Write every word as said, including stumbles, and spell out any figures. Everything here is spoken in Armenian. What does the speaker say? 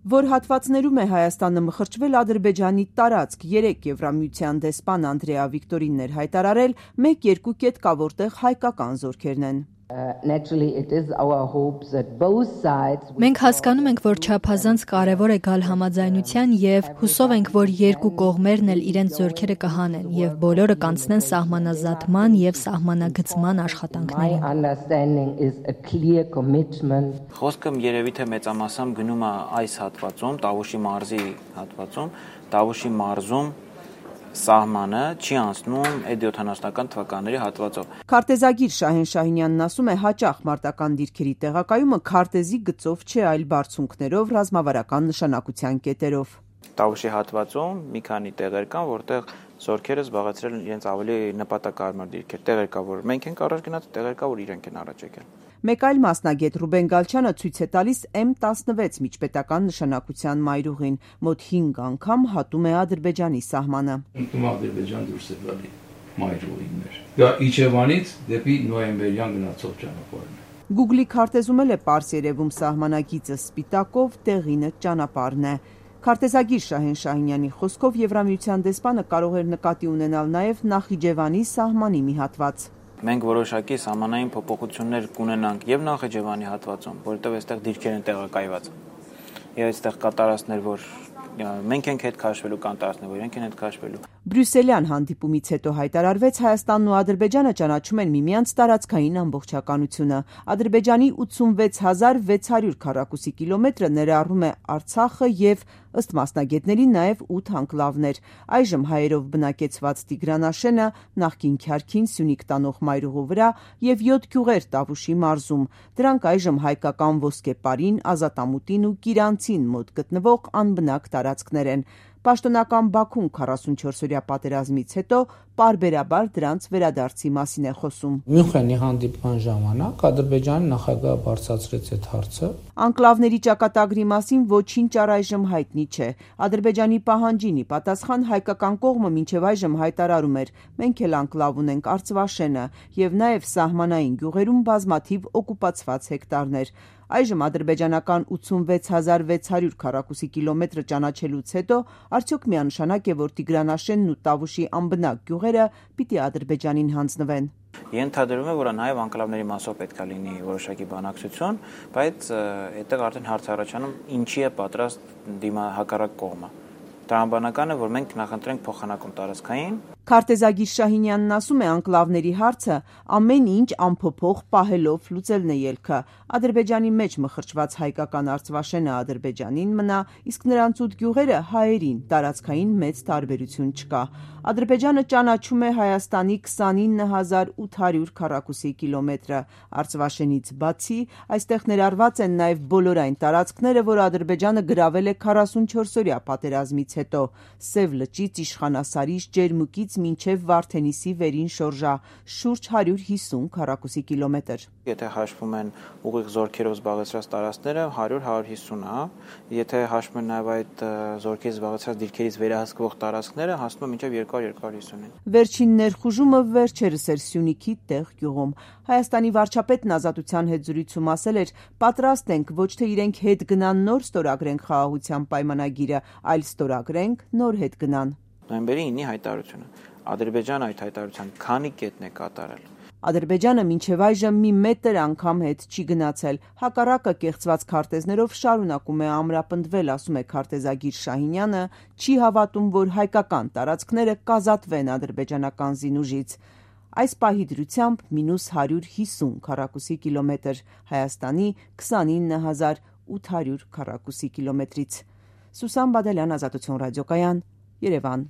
Որ հատվածներում է Հայաստանը մխրճվել Ադրբեջանի տարածք, երեք Եվրամիության դեսպան Անդրեա Վիկտորինն էր հայտարարել, մեկ-երկու կետ կա, որտեղ հայկական զորքերն են։ Մենք հասկանում ենք, որ չափազանց կարևոր է գալ համաձայնության և հուսով ենք, որ երկու կողմերն էլ իրենց զորքերը կհանեն և բոլորը կանցնեն սահմանազատման և սահմանագծման աշխատանքներին։ Խոսքը երևի թե մեծամասամբ գնում է այս հատվածում, Տավուշի մարզի հատվածում, Տավուշի մարզում սահմանը չի անցնում էդ յոթանասունական թվականների հատվածով։ Քարտեզագիր Շահեն Շահինյանն ասում է, հաճախ մարտական դիրքերի տեղակայումը քարտեզի գծով չէ, այլ բարձունքներով, ռազմավարական նշանակության կետերով։ Տավուշի հատվածում մի քանի տեղեր կան, որտեղ զորքերը զբաղեցրել են իրենց ավելի նպատակարար դիրքեր։ Տեղեր կա, որ մենք ենք առաջ գնաց, տեղեր կա, որ իրենք են առաջ եկել։ Մեկ այլ մասնագետ Ռուբեն Գալչյանը ցույց է տալիս էմ տասնվեց միջպետական նշանակության մայրուղին, մոտ հինգ անգամ հատում է Ադրբեջանի սահմանը։ Ինքնում Ադրբեջան դուրս է գալի մայրուղին մեր։ Դա Իջևանից դեպի նոյեմբերյան գնացող ճանապարհն է։ Google-ի քարտեզում էլ է պարզ երևում սահմանագիծը սպիտակով, տեղինը ճանապարհն է։ Քարտեզագիր Շահեն Շահինյանի խոսքով Եվրամիության դեսպանը կարող էր նկատի ունենալ նաև Նախիջևանի սահմանի մի հատված։ Մենք որոշակի սահմանային փոփոխություններ կունենանք եւ Նախիջևանի հատվածում, որովհետեւ այստեղ դիրքեր են տեղակայված։ Եվ այստեղ կատարածներ, որ մենք ենք հետ քաշվելու, կան տարածքներ, որ իրենք են հետ քաշվելու։ Բրյուսելյան հանդիպումից հետո հայտարարվեց Հայաստանն ու Ադրբեջանը ճանաչում են միմյանց տարածքային ամբողջականությունը։ Ադրբեջանի ութսունվեց հազար վեց հարյուր քառակուսի կիլոմետրը ներառում է Արցախը եւ ըստ մասնագետների նաև ութ անկլավներ։ Այժմ հայերով բնակեցված Տիգրանաշենը, նախկին Քյարքին, Սյունիք տանող մայրուղու վրա եւ յոթ գյուղեր Տավուշի մարզում։ Դրանք այժմ հայկական Ոսկեպարին, Ազատամուտին ու Կիրանցին մոտ գտնվող անբնակ տարածքներ են։ Պաշտոնական Բաքուն քառասունչորսօրյա պատերազմից հետո պարբերաբար դրանց վերադարձի մասին է խոսում։ Մյունխենի հանդիպման ժամանակ Ադրբեջանի նախագահը բարձրացրեց այդ հարցը։ Անկլավների ճակատագրի մասին ոչինչ առայժմ հայտնի չէ։ Ադրբեջանի պահանջին ի պատասխան հայկական կողմը մինչև այժմ հայտարարում էր. մենք էլ անկլավ ունենք Արծվաշենը եւ նաեւ սահմանային գյուղերում բազմաթիվ օկուպացված հեկտարներ։ Այժմ ադրբեջանական ութսունվեց հազար վեց հարյուր քառակուսի կիլոմետրը ճանաչելուց հետո արդյոք միանշանակ է, որ Տիգրանաշենն ու Տավուշի անբնակ գյուղերը պիտի Ադրբեջանին հանձնվեն։ Ենթադրվում է, որ նաև անկլավների մասով պետք է լինի որոշակի բանակցություն, բայց այդտեղ արդեն հարց առաջանում ինչի է պատրաստ դիմա հակառակ կողմը։ Տրամաբանական է, որ մենք նախընտրենք փոխանակում տարածքային։ Քարտեզագիր Շահինյանն ասում է, անկլավների հարցը ամեն ինչ անփոփոխ պահելով լուծելն է ելքը։ Ադրբեջանի մեջ մխրճված հայկական Արծվաշենը Ադրբեջանին մնա, իսկ նրանց ութ գյուղերը հայերին, տարածքային մեծ տարբերություն չկա։ Ադրբեջանը ճանաչում է Հայաստանի քսանինը հազար ութ հարյուր քառակուսի կիլոմետրը։ Արծվաշենից բացի այստեղ ներառված են նաև բոլոր այն տարածքները, որ Ադրբեջանը գրավել է քառասունչորսօրյա պատերազմից հետո։ Սև լճից Իշխանասարից, Ջերմուկից մինչև Վարդենիսի վերին շորժա, շուրջ հարյուր հիսուն քառակուսի կիլոմետր։ Եթե հաշվում են ուղիղ զորքերով զբաղեցրած տարածքները, հարյուր հարյուր հիսուն է։ Եթե հաշվում են նաև այդ զորքերի զբաղեցրած դիրքերից վերահսկվող տարածքները, հասնում է մինչև երկու հարյուր երկու հարյուր հիսունին։ Վերջին ներխուժումը վերջերս էր Սյունիքի տեղ գյուղում։ Հայաստանի վարչապետն Ազատության հետ զրույցում ասել էր. պատրաստ ենք ոչ թե իրենք հետ գնան նոր ստորագրենք խաղաղության պայմանագիրը, այլ ստորագրենք նոր հետ գնան։ Նոյեմբերի ինը հայտարարությունը։ Ադրբեջանը այդ հայտարարության քանի կետն է կատարել։ Ադրբեջանը մինչև այժմ մի մետր անգամ հետ չի գնացել։ Հակառակը կեղծված քարտեզներով շարունակում է ամրապնդվել, ասում է քարտեզագիր Շահինյանը, չի հավատում, որ հայկական տարածքները կազատվեն ադրբեջանական զինուժից։ Այս պահի դրությամբ մինուս հարյուր հիսուն քառակուսի կիլոմետր, Հայաստանի քսանինը հազար ութ հարյուր քառակուսի կիլոմետրից։ Սուսան Բադալյան, Ազատություն ռադիոկայան, Երևան։